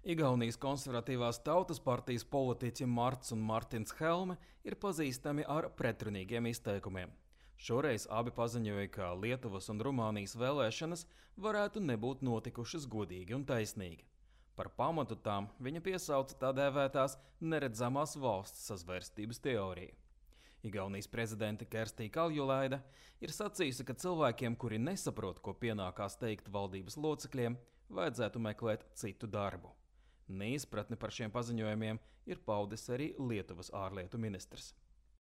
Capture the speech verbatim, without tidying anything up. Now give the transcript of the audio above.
Igaunijas konservatīvās tautas partijas politiķi Marts un Martins Helme ir pazīstami ar pretrunīgiem izteikumiem. Šoreiz abi paziņoja, ka Lietuvas un Rumānijas vēlēšanas varētu nebūt notikušas godīgi un taisnīgi. Par pamatu tām viņa piesauca tā dēvētās neredzamās valsts sazvērstības teoriju. Igaunijas prezidente Kerstija Kaljulaide ir sacījusi, ka cilvēkiem, kuri nesaprot, ko pienākās teikt valdības locekļiem, vajadzētu meklēt citu darbu. Neizpratni par šiem paziņojumiem ir paudis arī Lietuvas ārlietu ministrs.